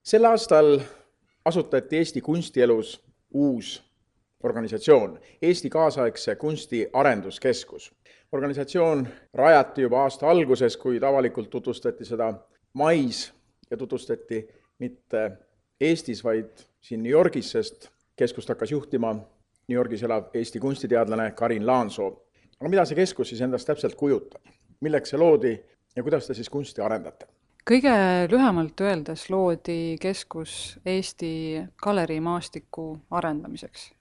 Sel aastal asutati Eesti kunstielus uus organisatsioon, Eesti kaasaegse kunsti arenduskeskus. Organisatsioon rajati juba aasta alguses, kuid avalikult tutvustati seda mais ja tutvustati mitte Eestis, vaid siin New Yorgis, sest keskust hakkas juhtima New Yorgis elav Eesti kunstiteadlane Karin Laansoo. Aga mida see keskus siis endast täpselt kujutab? Milleks see loodi ja kuidas te siis kunsti arendate? Kõige lühemalt öeldes loodi keskus Eesti galeriimaastiku arendamiseks.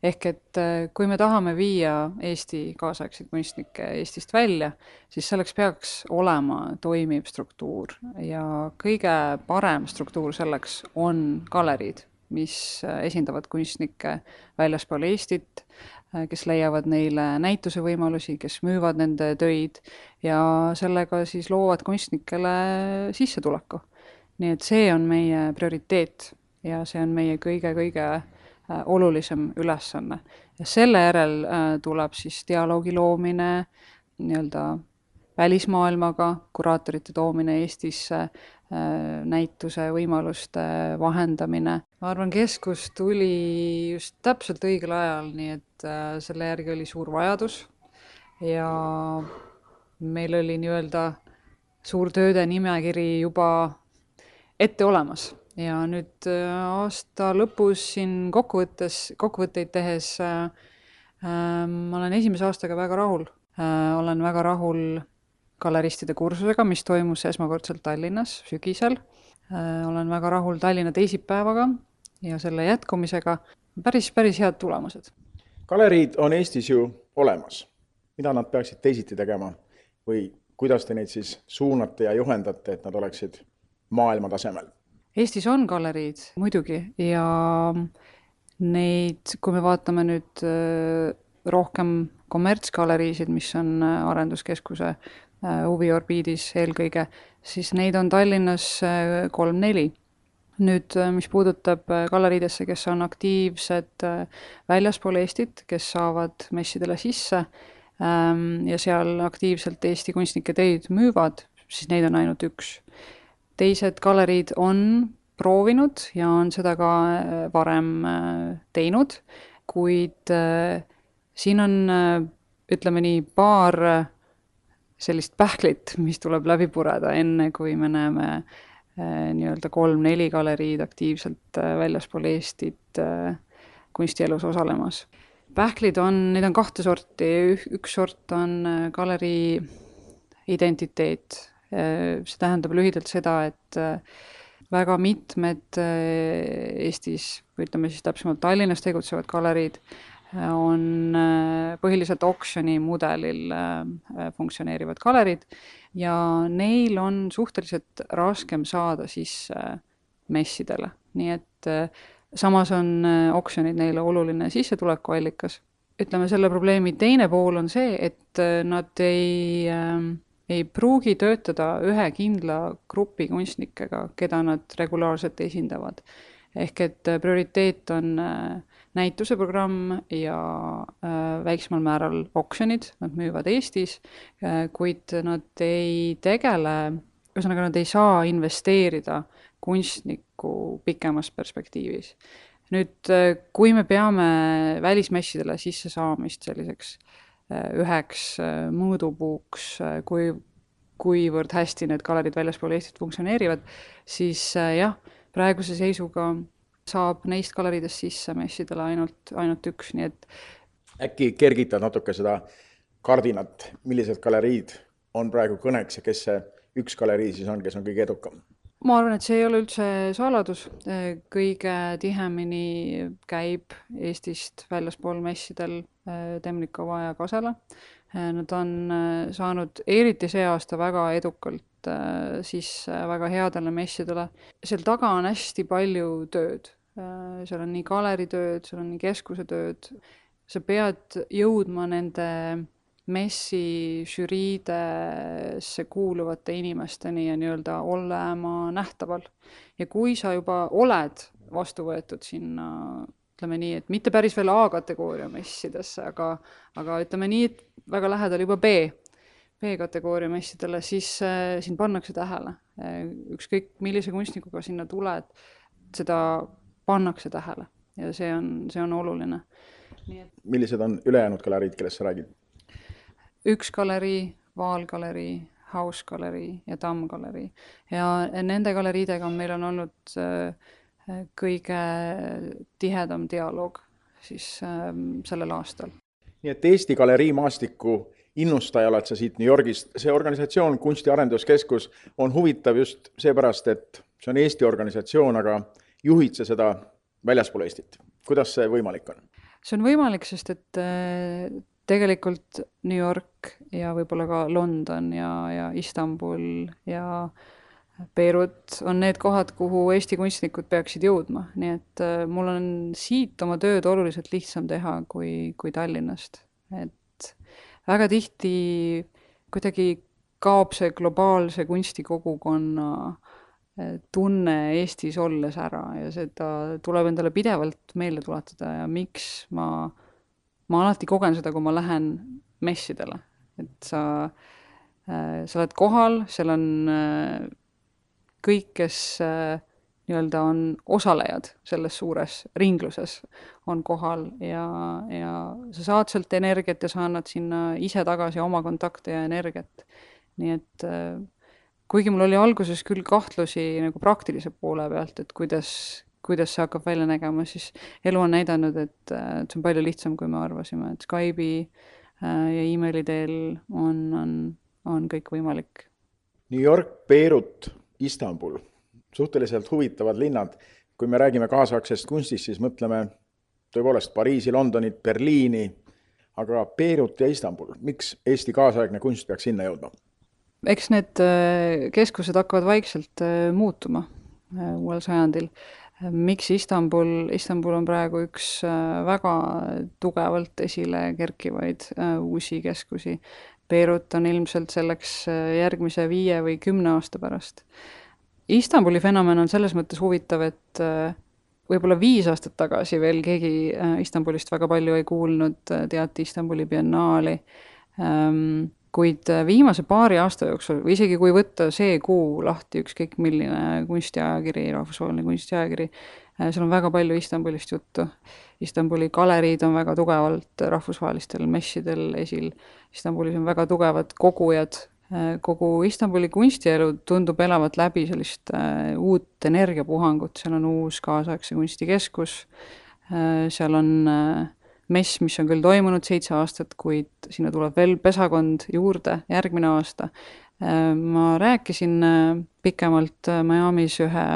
Ehk et kui me tahame viia Eesti kaasaegseid kunstnikke Eestist välja, siis selleks peaks olema toimiv struktuur ja kõige parem struktuur selleks on galeriid, mis esindavad kunstnikke väljaspool Eestit, kes leiavad neile näituse võimalusi, kes müüvad nende töid ja sellega siis loovad kunstnikele sissetuleku. Nii et see on meie prioriteet ja see on meie kõige olulisem ülesanne. Ja selle järel tuleb siis dialoogi loomine nii-öelda välismaailmaga, kuraatorite toomine Eestisse, näituse võimaluste vahendamine. Ma arvan, keskus tuli just täpselt õigel ajal, nii et selle järgi oli suur vajadus ja meil oli nii-öelda suur tööde nimekiri juba ette olemas. Ja nüüd aasta lõpus siin kokkuvõtteid tehes ma olen esimese aastaga väga rahul. Olen väga rahul galeristide kursusega, mis toimus esmakordselt Tallinnas sügisel. Olen väga rahul Tallinna teisipäevaga ja selle jätkumisega. Päris head tulemused. Galeriid on Eestis ju olemas. Mida nad peaksid teisiti tegema või kuidas te neid siis suunate ja juhendate, et nad oleksid maailma tasemel? Eestis on galeriid muidugi ja neid, kui me vaatame nüüd rohkem kommertsgaleriisid, mis on arenduskeskuse huviorbiidis eelkõige, siis neid on Tallinnas 3-4. Nüüd, mis puudutab galeriidesse, kes on aktiivsed väljaspool Eestit, kes saavad messidele sisse ja seal aktiivselt Eesti kunstnike töid müüvad, siis neid on ainult üks. Teised galeriid on proovinud ja on seda ka varem teinud, kuid siin on, ütleme nii, paar sellist pähklit, mis tuleb läbi pureda, enne kui me näeme nii-öelda 3-4 galeriid aktiivselt väljaspool Eestit kunstielus osalemas. Pähklid neid on kahte sorti, üks sort on galerii identiteet. See tähendab lühidalt seda, et väga mitmed Eestis, või ütleme siis täpsemalt Tallinnas tegutsevad galeriid on põhiliselt oksjoni mudelil funktsioneerivad galeriid ja neil on suhteliselt raskem saada sisse messidele. Nii et samas on oksjonid neile oluline sissetulekuallikas. Ütleme, selle probleemi teine pool on see, et nad ei pruugi töötada ühe kindla grupi kunstnikega, keda nad regulaarselt esindavad. Ehk et prioriteet on näituseprogramm ja väiksemal määral oksjonid, nad müüvad Eestis, kuid nad ei tegele, ühesõnaga nad ei saa investeerida kunstniku pikemas perspektiivis. Nüüd, kui me peame välismessidele sisse saamist selliseks üheks mõõdupuuks, kuivõrd hästi need galerid väljaspool Eestit funktsioneerivad, siis jah, praeguse seisuga saab neist galeridest sisse messidele ainult üks, nii et äkki kergitad natuke seda kardinat, millised galeriid on praegu kõneks ja kes see üks galerii siis on, kes on kõige edukam? Ma arvan, et see ei ole üldse saladus. Kõige tihemini käib Eestist väljaspool messidel Temnikova ja Kasela. Nad on saanud eriti see aasta väga edukalt sisse väga headele messidele. Seal taga on hästi palju tööd. Seal on nii galeritööd, seal on nii keskuse tööd. Sa pead jõudma nende messi žüriidesse kuuluvate inimesteni ja nii-öelda olema nähtaval. Ja kui sa juba oled vastu võetud sinna, ütleme nii, et mitte päris veel A-kategooria messidesse, aga ütleme nii, et väga lähedal juba B-kategooria messidele, siis sind pannakse tähele ükskõik millise kunstnikuga sinna tuled, seda pannakse tähele ja see on oluline. Millised on ülejäänud galeriid, kellest sa räägid? Üks galerii, Vaalgalerii, Hausgalerii ja Tammgalerii. Ja nende galeriidega meil on olnud kõige tihedam dialoog siis sellel aastal. Nii et Eesti galerii maastiku innustaja oled sa siit New Yorgist. See organisatsioon, Kunsti Arenduskeskus, on huvitav just seepärast, et see on Eesti organisatsioon, aga juhid sa seda väljaspool Eestit. Kuidas see võimalik on? See on võimalik, sest et tegelikult New York ja võib-olla ka London ja Istanbul ja Beirut on need kohad, kuhu Eesti kunstnikud peaksid jõudma. Nii et mul on siit oma tööd oluliselt lihtsam teha kui Tallinnast. Et väga tihti kuidagi kaob see globaalse kunstikogukonna tunne Eestis olles ära ja seda tuleb endale pidevalt meelde tuletada ja miks ma alati kogen seda, kui ma lähen messidele. Et sa oled kohal, seal on kõik, kes nii-öelda on osalejad selles suures ringluses, on kohal ja sa saad sealt energiat ja sa annad sinna ise tagasi oma kontakte ja energiat. Nii et kuigi mul oli alguses küll kahtlusi nagu praktilise poole pealt, et kuidas see hakkab välja nägema, siis elu on näidanud, et see on palju lihtsam, kui me arvasime, et Skype'i ja emaili teel on kõik võimalik. New York, Beirut, Istanbul, suhteliselt huvitavad linnad. Kui me räägime kaasaegsest kunstist, siis mõtleme tõepoolest Pariisi, Londonit, Berliini, aga Beirut ja Istanbul. Miks Eesti kaasaegne kunst peaks sinna jõudma? Eks need keskused hakkavad vaikselt muutuma uuel sajandil. Miks Istanbul on praegu üks väga tugevalt esile kerkivaid uusi keskusi. Beirut on ilmselt selleks järgmise 5 või 10 aasta pärast. Istanbuli fenomen on selles mõttes huvitav, et võib-olla 5 aastat tagasi veel keegi Istanbulist väga palju ei kuulnud, teati Istanbuli biennaali, kuid viimase paari aasta jooksul, või isegi kui võtta see kuu lahti ükskõik milline kunstiajakiri, rahvusvaheline kunstiajakiri, seal on väga palju Istanbulist juttu. Istanbuli galeriid on väga tugevalt rahvusvahelistel messidel esil. Istanbulis on väga tugevad kogujad. Kogu Istanbuli kunstielu tundub elavat läbi sellist uut energiapuhangut. Seal on uus kaasaegse kunstikeskus. Seal on mess, mis on küll toimunud 7 aastat, kuid sinna tuleb veel pesakond juurde järgmine aasta. Ma rääkisin pikemalt Miamis ühe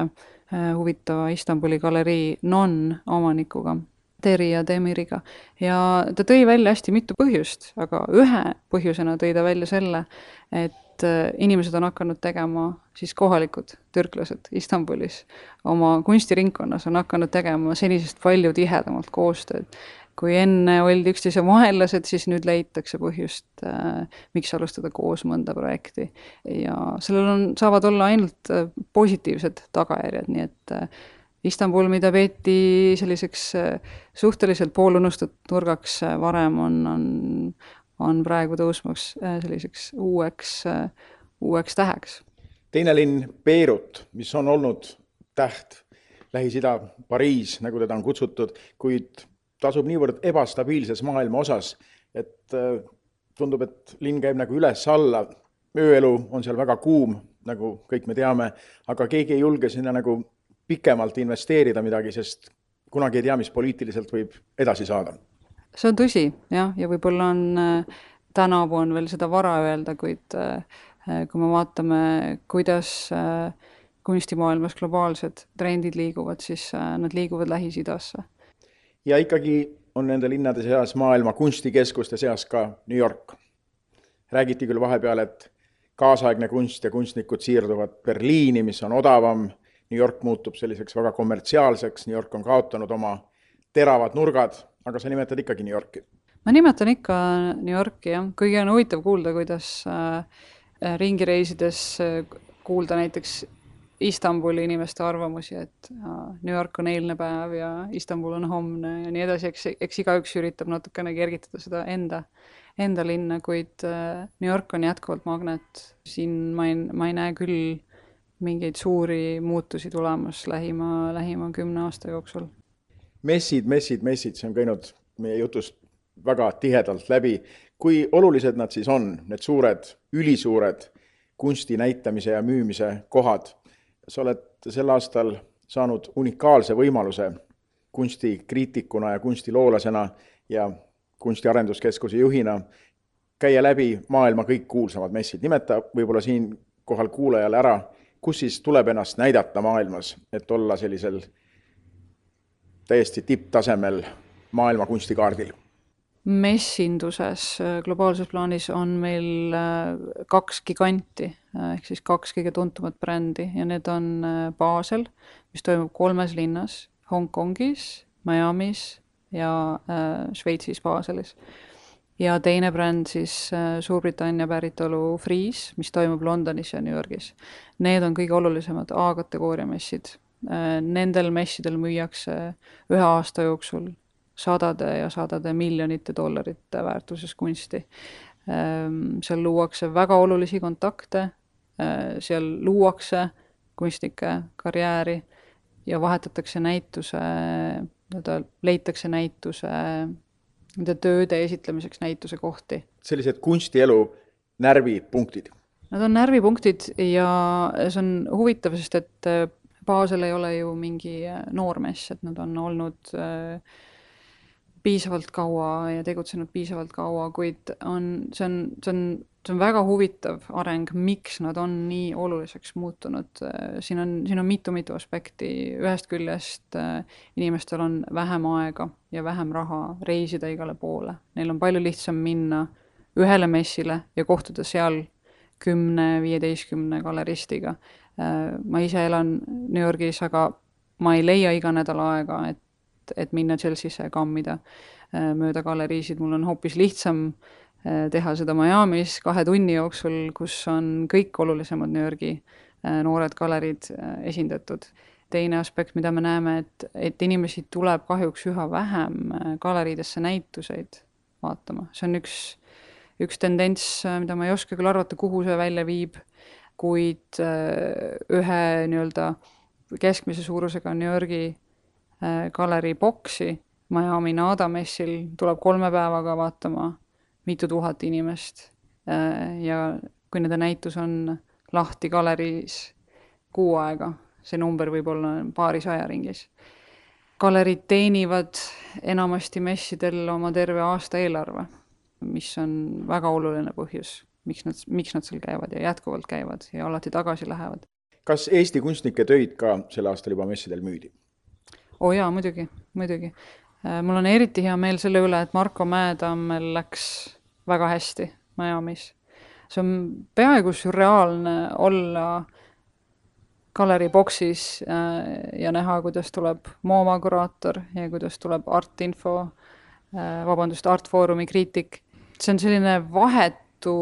huvitava Istanbuli galerii non-omanikuga, Teri ja Demiriga. Ja ta tõi välja hästi mitu põhjust, aga ühe põhjusena tõi ta välja selle, et inimesed on hakanud tegema, siis kohalikud türklased Istanbulis oma kunstiringkonnas on hakanud tegema senisest palju tihedamalt koostööd. Kui enne oldi üksteise vaenlased, siis nüüd leitakse põhjust, miks alustada koos mõnda projekti. Ja sellel saavad olla ainult positiivsed tagajärjed, nii et Istanbul, mida peeti selliseks suhteliselt poolunustatud nurgaks varem, on praegu tõusmaks selliseks uueks täheks. Teine linn Beirut, mis on olnud täht, Lähis-Ida, Pariis, nagu teda on kutsutud, kuid ta asub niivõrd ebastabiilses maailma osas, et tundub, et linn käib nagu üles-alla. Ööelu on seal väga kuum, nagu kõik me teame, aga keegi ei julge sinna nagu pikemalt investeerida midagi, sest kunagi ei tea, mis poliitiliselt võib edasi saada. See on tõsi, jah, ja võib-olla tänavu on veel seda vara öelda, kuid kui me vaatame, kuidas kunstimaailmas globaalsed trendid liiguvad, siis nad liiguvad Lähis-Idasse. Ja ikkagi on nende linnade seas maailma kunstikeskuste seas ka New York. Räägiti küll vahepeal, et kaasaegne kunst ja kunstnikud siirduvad Berliini, mis on odavam. New York muutub selliseks väga kommertsiaalseks. New York on kaotanud oma teravad nurgad, aga sa nimetad ikkagi New Yorki. Ma nimetan ikka New Yorki, jah. Kuigi on huvitav kuulda, kuidas ringireisides kuulda näiteks Istanbuli inimeste arvamusi, et New York on eilne päev ja Istanbul on homne ja nii edasi, eks igaüks üritab natukene kergitada seda enda linna, kuid New York on jätkuvalt magnet. Siin ma ei näe küll mingeid suuri muutusi tulemas lähima 10 aasta jooksul. Messid, see on käinud meie jutust väga tihedalt läbi. Kui olulised nad siis on, need suured, ülisuured kunsti näitamise ja müümise kohad? Sa oled sel aastal saanud unikaalse võimaluse kunstikriitikuna ja kunstiloolasena ja kunstiarenduskeskuse juhina käia läbi maailma kõik kuulsamad messid. Nimeta võib-olla siin kohal kuulajale ära, kus siis tuleb ennast näidata maailmas, et olla sellisel täiesti tipptasemel maailma kunstikaardil. Messinduses globaalses plaanis on meil 2 giganti, ehk siis 2 kõige tuntumat brändi ja need on Basel, mis toimub 3 linnas, Hongkongis, Miamis ja Šveitsis Baselis. Ja teine bränd siis Suurbritannia päritolu Frieze, mis toimub Londonis ja New Yorgis. Need on kõige olulisemad A-kategooria messid. Nendel messidel müüakse 1 aasta jooksul sadade ja sadade miljonite dollarite väärtuses kunsti. Seal luuakse väga olulisi kontakte, seal luuakse kunstnike karjääri ja vahetatakse leitakse näituse nende tööde esitlemiseks näituse kohti. Sellised kunstielu närvipunktid. Nad on närvipunktid ja see on huvitav, sest et Basel ei ole ju mingi noormess, et nad on olnud piisavalt kaua ja tegutsenud piisavalt kaua, kuid see on väga huvitav areng, miks nad on nii oluliseks muutunud. Siin on mitu aspekti. Ühest küljest inimestel on vähem aega ja vähem raha reisida igale poole. Neil on palju lihtsam minna ühele messile ja kohtuda seal 10-15 galeristiga. Ma ise elan New Yorgis, aga ma ei leia iga nädal aega, et minna Chelsea'sse kammida mööda galeriisid. Mul on hoopis lihtsam teha seda Miamis 2 tunni jooksul, kus on kõik olulisemad New Yorgi noored galeriid esindatud. Teine aspekt, mida me näeme, et inimesi tuleb kahjuks üha vähem galeriidesse näituseid vaatama. See on üks tendents, mida ma ei oska küll arvata, kuhu see välja viib, kuid ühe keskmise suurusega New Yorgi galeri boksi Miami Nada messil tuleb 3 päevaga vaatama mitu tuhat inimest ja kui nende näitus on lahti galeriis 6 aega, see number võib olla paarisaja ringis. Galerid teenivad enamasti messidel oma terve aasta eelarve, mis on väga oluline põhjus, miks nad seal käivad ja jätkuvalt käivad ja alati tagasi lähevad. Kas Eesti kunstnike töid ka sel aastal juba messidel müüdi? Jaa, muidugi. Mul on eriti hea meel selle üle, et Marko Mäetammel läks väga hästi Miamis. See on peaaegu surreaalne olla galeri boksis ja näha, kuidas tuleb MoMA kuraator ja kuidas tuleb Artfoorumi kriitik. See on selline vahetu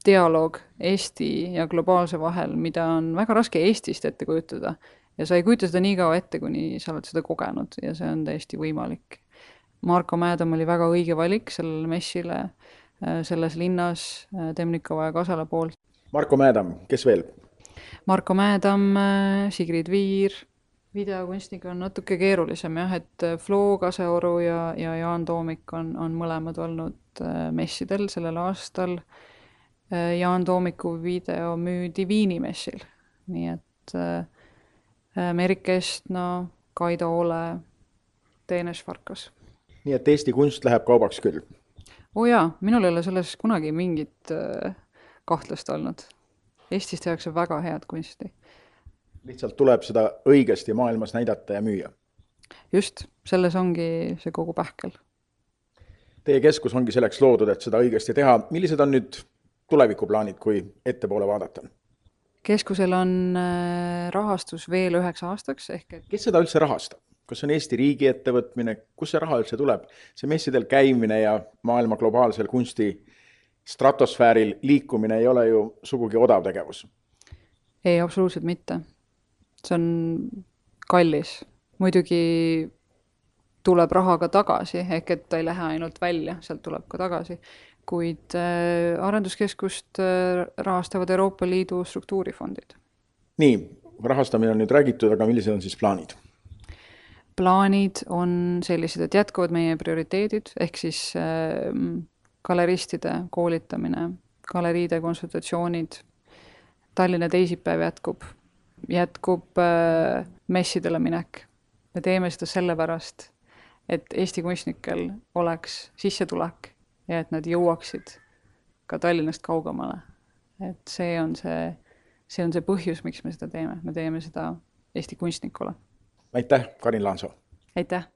dialoog Eesti ja globaalse vahel, mida on väga raske Eestist ette kujutada. Ja sa ei kujuta seda nii kaua ette, kuni sa oled seda kogenud ja see on täiesti võimalik. Marko Mäetamm oli väga õige valik sellele messile selles linnas Temnikova ja Kasala poolt. Marko Mäetamm, kes veel? Marko Mäetamm, Sigrid Viir, videokunstniga on natuke keerulisem, et Flo Kaseoru ja Jaan Toomik on mõlemad olnud messidel sellel aastal. Jaan Toomiku video müüdi Viini messil, nii et Merik Estna, Kaido Ole, Teenes Farkas. Nii et Eesti kunst läheb kaubaks küll? Jaa, minul ei ole selles kunagi mingit kahtlust olnud. Eestis tehakse väga head kunsti. Lihtsalt tuleb seda õigesti maailmas näidata ja müüa? Just, selles ongi see kogu pähkel. Teie keskus ongi selleks loodud, et seda õigesti teha. Millised on nüüd tulevikuplaanid, kui ettepoole vaadata? Keskusel on rahastus veel 9 aastaks. Kes seda üldse rahastab? Kas on Eesti riigi ettevõtmine? Kus see raha üldse tuleb? See messidel käimine ja maailma globaalsel kunsti stratosfääril liikumine ei ole ju sugugi odav tegevus. Ei, absoluutselt mitte. See on kallis. Muidugi tuleb raha ka tagasi, ehk et ta ei lähe ainult välja, sealt tuleb ka tagasi. kuid arenduskeskust rahastavad Euroopa Liidu struktuurifondid. Nii, rahastamine on nüüd räägitud, aga millised on siis plaanid? Plaanid on sellised, et jätkuvad meie prioriteedid, ehk siis galeristide koolitamine, galeriide konsultatsioonid, Tallinna teisipäev jätkub messidele minek. Me teeme seda sellepärast, et Eesti kunstnikel oleks sissetulek ja et nad jõuaksid ka Tallinnast kaugemale. Et see on see põhjus, miks me seda teeme. Me teeme seda Eesti kunstnikule. Aitäh, Karin Laansoo! Aitäh!